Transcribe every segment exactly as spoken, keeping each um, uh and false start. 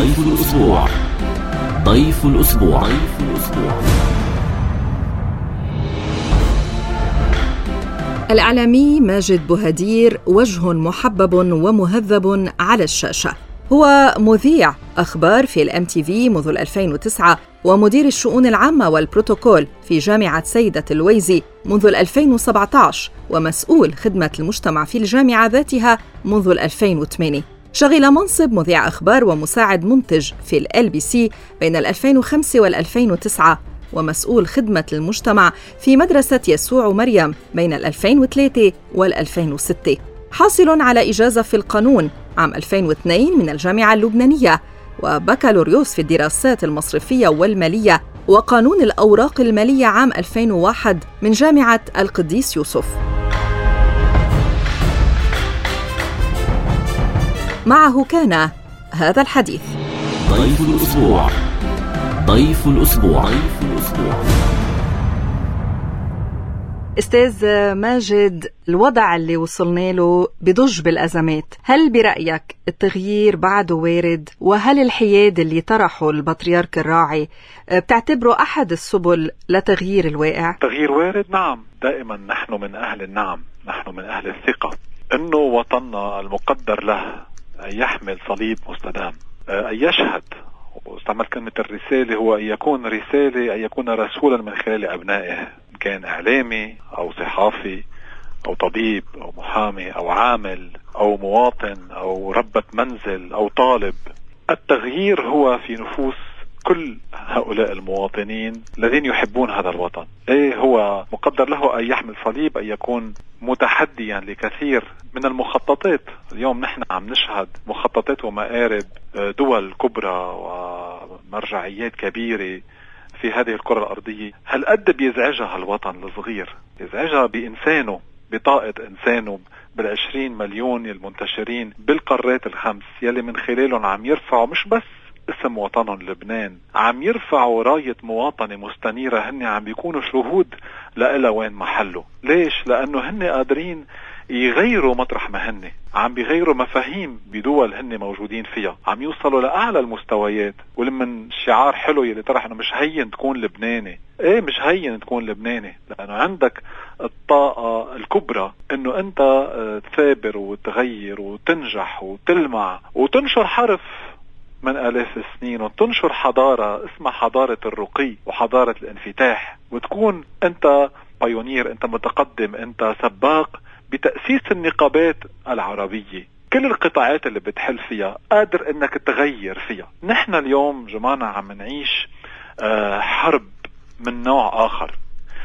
ضيف الأسبوع. ضيف الأسبوع. ضيف الأسبوع. الإعلامي ماجد بوهدير وجه محبب ومهذب على الشاشة. هو مذيع أخبار في الام تي في منذ ألفين وتسعة، ومدير الشؤون العامة والبروتوكول في جامعة سيدة الويزي منذ ألفين وسبعة عشر، ومسؤول خدمة المجتمع في الجامعة ذاتها منذ ألفين وثمانية. شغل منصب مذيع أخبار ومساعد منتج في ال بي سي بين ألفين وخمسة وألفين وتسعة، ومسؤول خدمة المجتمع في مدرسة يسوع مريم بين ألفين وثلاثة وألفين وستة. حاصل على إجازة في القانون عام ألفين واثنين من الجامعة اللبنانية، وبكالوريوس في الدراسات المصرفية والمالية وقانون الأوراق المالية عام ألفين وواحد من جامعة القديس يوسف. معه كان هذا الحديث. ضيف الأسبوع. ضيف الأسبوع. ضيف الأسبوع. أستاذ ماجد، الوضع اللي وصلنا له بضج بالأزمات، هل برأيك التغيير بعده وارد؟ وهل الحياد اللي طرحه البطريرك الراعي بتعتبره أحد السبل لتغيير الواقع؟ تغيير وارد، نعم. دائما نحن من أهل النعم، نحن من أهل الثقة أنه وطننا المقدر له أن يحمل صليب مستدام، أن يشهد، واستعمل كلمة الرسالة، هو أن يكون رسالة، أن يكون رسولا من خلال أبنائه، كان إعلامي أو صحافي أو طبيب أو محامي أو عامل أو مواطن أو ربة منزل أو طالب. التغيير هو في نفوس كل هؤلاء المواطنين الذين يحبون هذا الوطن. إيه، هو مقدر له أن يحمل صليب، أن يكون متحديا لكثير من المخططات. اليوم نحن عم نشهد مخططات ومآرب دول كبرى ومرجعيات كبيرة في هذه الكرة الأرضية. هل قد بيزعجها الوطن الصغير؟ يزعجها بإنسانه، بطاقة إنسانه، بالعشرين مليون المنتشرين بالقارات الخمس، يلي من خلالهم عم يرفعوا مش بس اسم وطنهم لبنان، عم يرفعوا راية مواطنة مستنيرة. هن عم بيكونوا شهود لإلا وين محله. ليش؟ لأنه هن قادرين يغيروا مطرح ما هن، عم بيغيروا مفاهيم بدول هن موجودين فيها، عم يوصلوا لأعلى المستويات. ولمن شعار حلو يلي طرح انه مش هين تكون لبناني. ايه، مش هين تكون لبناني، لأنه عندك الطاقة الكبرى انه انت تثابر وتغير وتنجح وتلمع وتنشر حرف من آلاف السنين، وتنشر حضارة اسمها حضارة الرقي وحضارة الانفتاح، وتكون انت بايونير، انت متقدم، انت سباق بتأسيس النقابات العربية. كل القطاعات اللي بتحل فيها قادر انك تغير فيها. نحن اليوم جماعة عم نعيش حرب من نوع آخر،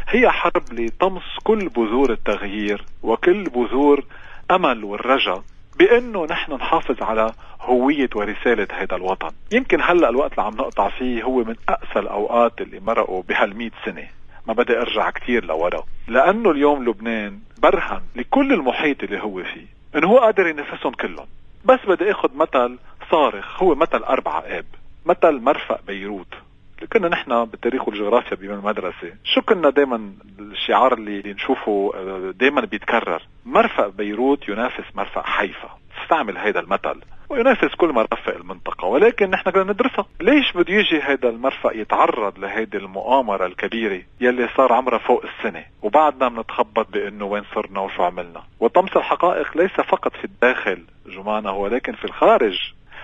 هي حرب لطمس كل بذور التغيير وكل بذور أمل والرجاء بأنه نحن نحافظ على هوية ورسالة هذا الوطن. يمكن هلأ الوقت اللي عم نقطع فيه هو من أقسى الأوقات اللي مرقوا بهالمئة سنة. ما بدي أرجع كتير لورا، لأنه اليوم لبنان برهن لكل المحيط اللي هو فيه إنه هو قادر ينافسهم كلهم. بس بدي أخذ مثل صارخ، هو مثل أربعة آب، مثل مرفأ بيروت. كنا نحن بالتاريخ والجغرافيا بالمدرسة شو كنا دايما الشعار اللي نشوفه دايما بيتكرر، مرفأ بيروت ينافس مرفأ حيفا. استعمل هذا المثل وينافس كل مرافق المنطقة، ولكن نحن بدنا ندرسها. ليش بده يجي هذا المرفأ يتعرض لهذه المؤامرة الكبيرة يلي صار عمرها فوق السنة، وبعدنا بنتخبط بأنه وين صرنا وشو عملنا؟ وطمس الحقائق ليس فقط في الداخل جمانة، ولكن في الخارج.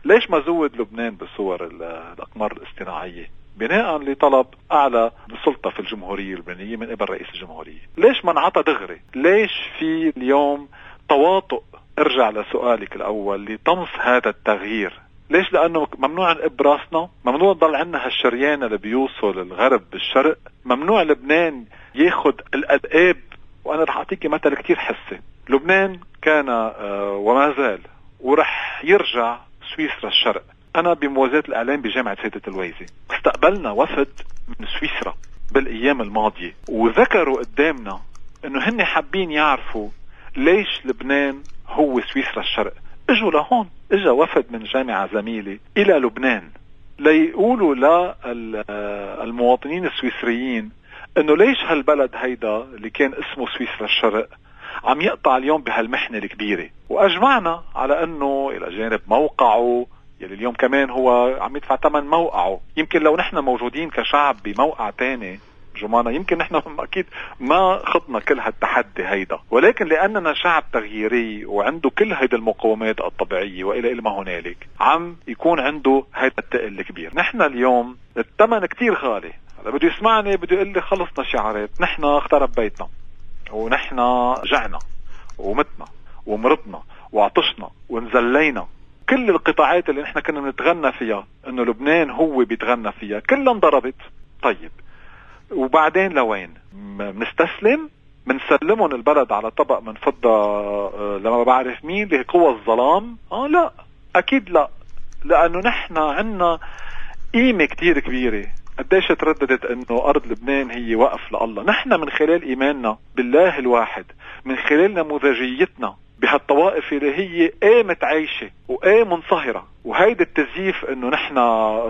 ليش ما زود لبنان بصور الأقمار الاصطناعية بناء لطلب أعلى سلطة في الجمهورية اللبنانية من قبل رئيس الجمهورية؟ ليش ما نعطى دغري؟ ليش في اليوم تواطؤ؟ ارجع لسؤالك الأول، لطمس هذا التغيير. ليش؟ لأنه ممنوع نقب راسنا، ممنوع ضل عندنا هالشريان اللي بيوصل الغرب بالشرق، ممنوع لبنان ياخد الأداب. وأنا رح أعطيكي مثل كتير حسي. لبنان كان آه وما زال ورح يرجع سويسرا الشرق. أنا بموازاة الإعلام بجامعة سيدة الويزي استقبلنا وفد من سويسرا بالأيام الماضية، وذكروا قدامنا إنه هن حابين يعرفوا ليش لبنان هو سويسرا الشرق. اجوا لهون، اجا وفد من جامعة زميلي إلى لبنان ليقولوا للمواطنين السويسريين إنه ليش هالبلد هيدا اللي كان اسمه سويسرا الشرق عم يقطع اليوم بهالمحنة الكبيرة. وأجمعنا على أنه إلى جانب موقعه يلي اليوم كمان هو عم يدفع ثمن موقعه. يمكن لو نحن موجودين كشعب بموقع تاني جمانة يمكن نحن أكيد ما خضنا كل هالتحدي هيدا، ولكن لأننا شعب تغييري وعنده كل هيدا المقومات الطبيعية وإلى إلى ما هنالك عم يكون عنده هيدا التقل الكبير. نحن اليوم الثمن كتير غالي. هذا بده يسمعني بده يقول لي خلصنا شعارات، نحن اخترب بيتنا ونحن جعنا ومتنا ومرضنا وعطشنا ونزلينا. كل القطاعات اللي نحن كنا نتغنى فيها انه لبنان هو بيتغنى فيها كلها انضربت. طيب وبعدين لوين؟ منستسلم؟ منسلمون البلد على طبق من فضة لما بعرف مين اللي قوى الظلام؟ اه لا اكيد لا، لانه نحن عنا قيمة كتير كبيرة. قديش ترددت انه ارض لبنان هي وقف لله. نحن من خلال ايماننا بالله الواحد، من خلال نموذجيتنا بهالطوائف اللي هي ايه متعايشة وايه منصهرة، وهيدي التزييف انه نحن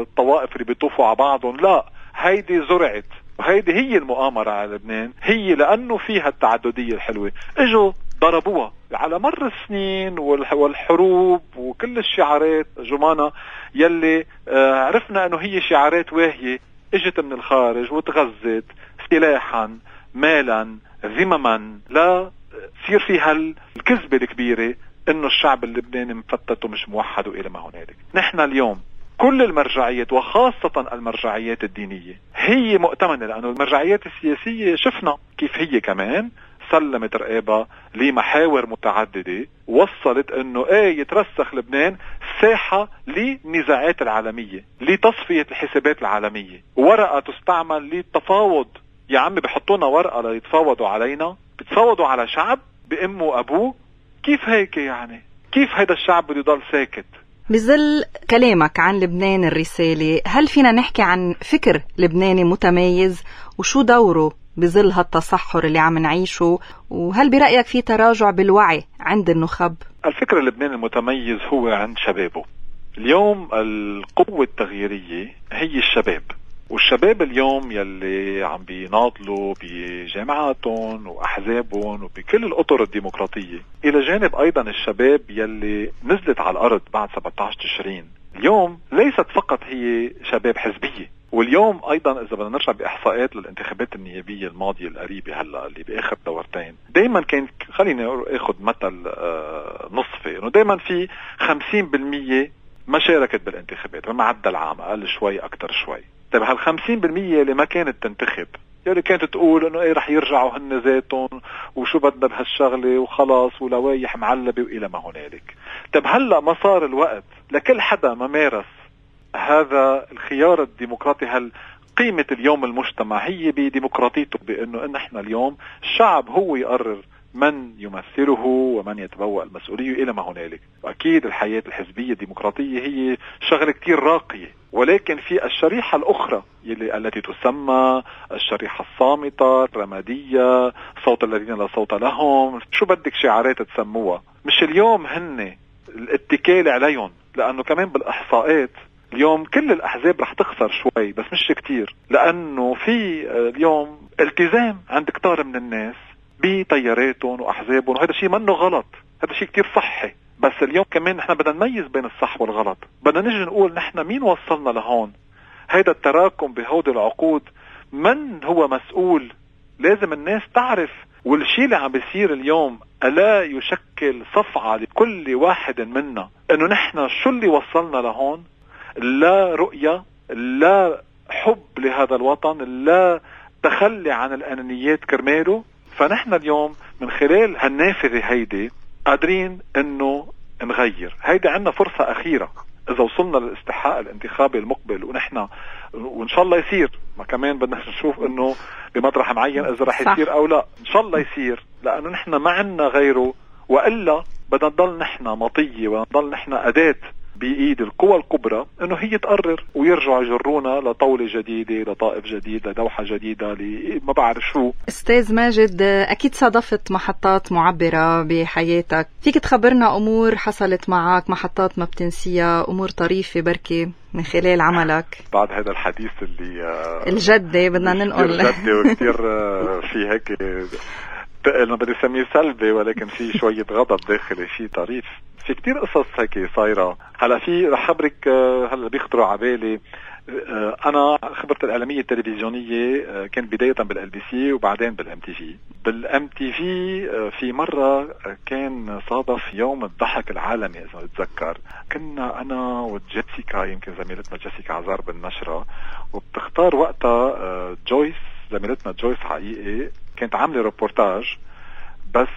الطوائف اللي بيطوفوا على بعضهم، لا هيدي زرعت وهيدي هي المؤامرة على لبنان. هي لأنه فيها التعددية الحلوة اجوا ضربوها على مر السنين والحروب وكل الشعارات جمانة يلي عرفنا انه هي شعارات واهية اجت من الخارج وتغذت سلاحا مالا ذمما لا تصير فيها الكذبة الكبيرة انه الشعب اللبناني مفتت ومش موحد والى ما هنالك. نحن اليوم كل المرجعيات وخاصة المرجعيات الدينية هي مؤتمنة، لأنه المرجعيات السياسية شفنا كيف هي كمان سلمت رقابة لمحاور متعددة وصلت انه ايه يترسخ لبنان ساحة للنزاعات العالمية، لتصفية الحسابات العالمية، ورقة تستعمل للتفاوض. يا عمي بحطونا ورقة ليتفاوضوا علينا، بتفاوضوا على شعب بأمه وأبوه. كيف هيك يعني؟ كيف هيدا الشعب بده يضل ساكت؟ بظل كلامك عن لبنان الرسالة، هل فينا نحكي عن فكر لبناني متميز وشو دوره بظل هالتصحر اللي عم نعيشه؟ وهل برأيك في تراجع بالوعي عند النخب؟ الفكر اللبناني المتميز هو عند شبابه. اليوم القوة التغييرية هي الشباب، والشباب اليوم يلي عم بيناضلوا بجامعاتهم وأحزابهم وبكل الأطر الديمقراطية، إلى جانب أيضا الشباب يلي نزلت على الأرض بعد سبعة عشر تشرين. اليوم ليست فقط هي شباب حزبية، واليوم أيضا إذا بدنا نرجع بإحصاءات للانتخابات النيابية الماضية القريبة هلا اللي بآخر دورتين، دايما كان خليني أخذ مثل آه نصفي، إنه دايما في خمسين بالمية ما شاركت بالانتخابات بمعدل عام، أقل شوي أكتر شوي. طيب هالخمسين بالمية اللي ما كانت تنتخب يلي كانت تقول انه ايه رح يرجعوا هن ذاتهم وشو بدنا بهالشغلة وخلاص ولوايح معلبة والى ما هنالك. طيب هلأ ما صار الوقت لكل حدا ما مارس هذا الخيار الديمقراطي. هل قيمة اليوم المجتمع هي بديمقراطيته، بانه ان احنا اليوم الشعب هو يقرر من يمثله ومن يتبوأ المسؤولية إلى ما هنالك. وأكيد الحياة الحزبية الديمقراطية هي شغلة كتير راقية، ولكن في الشريحة الأخرى يلي التي تسمى الشريحة الصامتة الرمادية، صوت الذين لا صوت لهم، شو بدك شعارات تسموها، مش اليوم هن الاتكال عليهم. لأنه كمان بالإحصاءات اليوم كل الأحزاب رح تخسر شوي بس مش كتير، لأنه في اليوم التزام عند كتار من الناس بطياراتهم وأحزابهم، وهذا شيء منه غلط، هذا شيء كتير صحي. بس اليوم كمان نحن بدنا نميز بين الصح والغلط، بدنا نجي نقول نحن مين وصلنا لهون. هيدا التراكم بهود العقود من هو مسؤول؟ لازم الناس تعرف. والشيء اللي عم بيصير اليوم ألا يشكل صفعة لكل واحد منا انه نحن شو اللي وصلنا لهون؟ لا رؤية، لا حب لهذا الوطن، لا تخلي عن الأنانيات كرماله. فنحن اليوم من خلال هالنافذة هيدي قادرين انه نغير. هيدي عنا فرصة اخيرة اذا وصلنا للاستحقاق الانتخابي المقبل، ونحن وان شاء الله يصير، ما كمان بدنا نشوف انه بمطرح معين اذا رح يصير او لا، ان شاء الله يصير، لانه نحن ما عنا غيره، والا بدنا نضل نحن مطية ونضل نحن اداة بإيد القوى الكبرى انه هي تقرر ويرجعوا يجرونا لطاولة جديدة، لطائف جديد، لدوحة جديدة، ما بعرف شو. استاذ ماجد، اكيد صادفت محطات معبرة بحياتك، فيك تخبرنا امور حصلت معك، محطات ما بتنسيها، امور طريفة بركي من خلال عملك بعد هذا الحديث اللي الجدي بدنا ننقل الجدي وكتير في هيك ثقل، ما بدي سميه سلبي، ولكن في شوية غضب داخلي، في طريف. في كتير قصص هيك صايرة. هلا في رح خبرك هلا بيخطروا عبالي. انا خبرت الاعلاميه التلفزيونيه كانت بدايه بالال بي سي وبعدين بالام تي في. بالام تي في في مره كان صادف يوم الضحك العالمي اذا بتذكر، كنا انا وجيسيكا، يمكن زميلتنا جيسيكا عزار بالنشره، وبتختار وقتها جويس، زميلتنا جويس حقيقي، كانت عامله روبورتاج. بس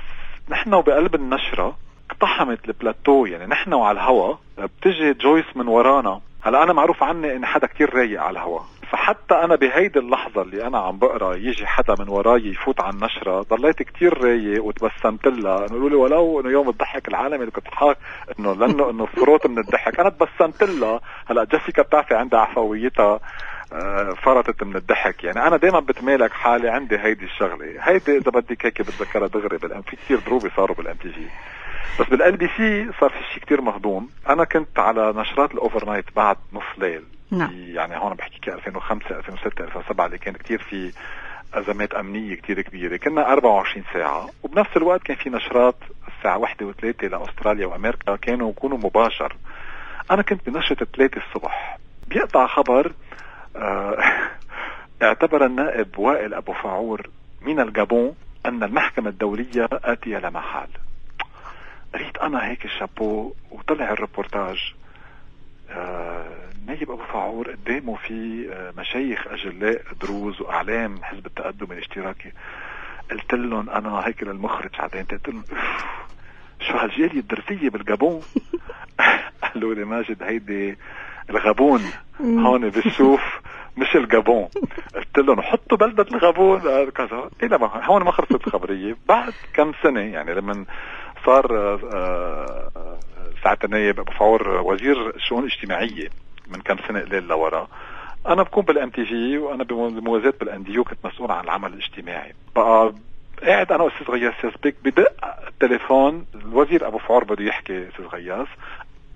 نحن وبقلب النشره اقتحمت البلاتو، يعني نحن وعلى الهوا بتجي جويس من ورانا. هلا انا معروف عني ان حدا كتير رايق على الهوا، فحتى انا بهيدي اللحظه اللي انا عم بقرا يجي حدا من وراي يفوت على النشره، ضليت كتير رايق وتبسمت لها، انه لي ولو انه يوم الضحك العالمي اللي كنت حاك انه لانه انه فروت من الضحك، انا تبسمت لها. هلا جيسيكا بتعرفي عندها عفويتها، فرطت من الضحك. يعني انا دائما بتمالك حالي عندي هيدي الشغله، هيدي اذا بدك هيك بتذكرها دغري بالام، في كتير دروبي صاروا بالام تي في. بس بالال بي سي صار في شيء كتير مهضوم. انا كنت على نشرات الاوفر نايت بعد نص ليل، نعم. يعني هون بحكي ألفين وخمسة ألفين وستة ألفين وسبعة اللي كان كتير في ازمات امنيه كتير كبيره، كنا أربعة وعشرين ساعه، وبنفس الوقت كان في نشرات الساعه واحدة وثلاثة لاستراليا وامريكا كانوا يكونوا مباشر. انا كنت بنشرة ثلاثة الصبح، بيقطع خبر اه اعتبر النائب وائل ابو فاعور من الجابون ان المحكمه الدوليه اتيه لا محال. قريت انا هيك الشابو، وطلع الريبورتاج آه نايب ابو فاعور قدامه في آه مشايخ اجلاء دروز واعلام حزب التقدم الاشتراكي. قلت لهم انا هيك للمخرج عدين، قلت لهم شو هالجاليه الدرزيه بالجابون؟ قالوا لي ماجد هيدي الغابون هون بالشوف مش الجابون. قلت لهم حطوا بلدة الغابون كذا. إيه لما هون ما خلصت الخبرية. بعد كم سنة يعني لما صار ساعة النايب أبو فاعور وزير الشؤون الاجتماعية من كم سنة قليل لورا، أنا بكون بالام تي في وأنا بموازاة بالانديو كنت مسؤول عن العمل الاجتماعي. بقى قاعد أنا وأستاذ غياس سياسبيك، بدق التليفون الوزير أبو فاعور بده يحكي أستاذ غياس.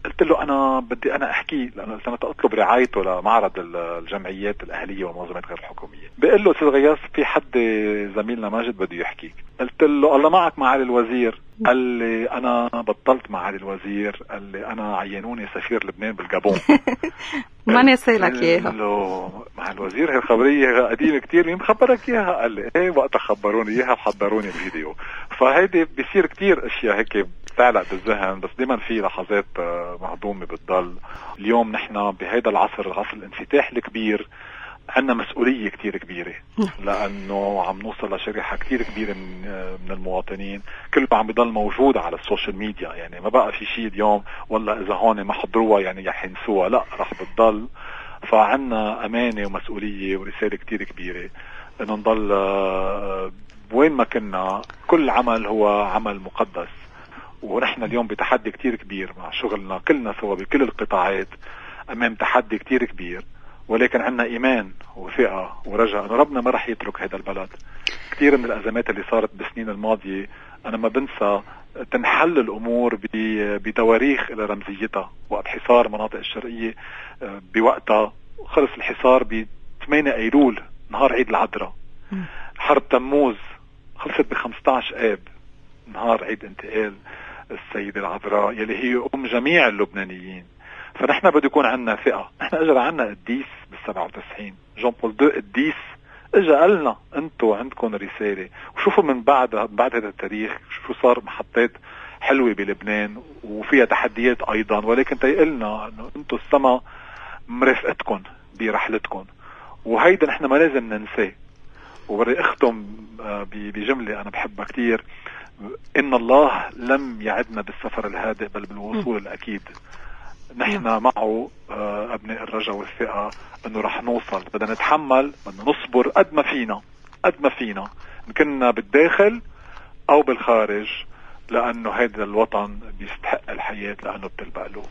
قلت له أنا بدي أنا أحكي لأنه أنا أطلب رعايته لمعرض الجمعيات الأهلية والمنظمات غير الحكومية. بقول له أستاذ غياس في حد زميلنا ماجد بده يحكيك. قلت له الله معك معالي الوزير. قال لي أنا بطلت معالي الوزير، قال لي أنا عينوني سفير لبنان بالجابون. ما نسيلك إياها. قلت له مع الوزير هي الخبرية قديمة كتير، مين خبرك إياها؟ قال لي إيه وقتها خبروني إياها وحضروني الفيديو. فهيدي بيصير كتير أشياء هيك تعلق بالذهن، بس دايما في لحظات مهضومة بتضل. اليوم نحن بهذا العصر، العصر الانفتاح الكبير، عندنا مسؤولية كتير كبيرة، لأنه عم نوصل لشريحة كتير كبيرة من, من المواطنين، كله عم بيضل موجود على السوشيال ميديا. يعني ما بقى في شيء اليوم والله إذا هون ما حضروها يعني يحنسوها، لا رح بتضل. فعنا أمانة ومسؤولية ورسالة كتير كبيرة إنه نضل وين ما كنا. كل عمل هو عمل مقدس، ونحن اليوم بتحدي كتير كبير مع شغلنا كلنا سوا بكل القطاعات، أمام تحدي كتير كبير، ولكن عنا إيمان وثقة ورجاء أن ربنا ما رح يترك هذا البلد. كتير من الأزمات اللي صارت بالسنين الماضية أنا ما بنسى تنحل الأمور بتواريخ إلى رمزيتها. وقت حصار مناطق الشرقية بوقتها خلص الحصار ب ثمانية أيلول نهار عيد العذراء. حرب تموز خلصت ب خمسة عشر آب نهار عيد انتقال السيدة العذراء يلي هي أم جميع اللبنانيين. فنحن بده يكون عنا ثقة. نحن اجى عنا قديس بالسبعة وتسعين، جون بول دو قديس اجى قالنا انتو عندكم رسالة. وشوفوا من بعد بعد هذا التاريخ شو صار محطات حلوة بلبنان وفيها تحديات ايضا، ولكن تيقلنا انه انتو السما مرافقتكم برحلتكم، وهيدا نحن ما لازم ننساه. وبدي اختم بجملة انا بحبها كتير، ان الله لم يعدنا بالسفر الهادئ بل بالوصول الاكيد. نحن معه أبناء الرجاء والثقة أنه رح نوصل. بدنا نتحمل، بدنا نصبر قد ما فينا قد ما فينا إن كنا بالداخل أو بالخارج، لأنه هذا الوطن بيستحق الحياة لأنه بتلبق له.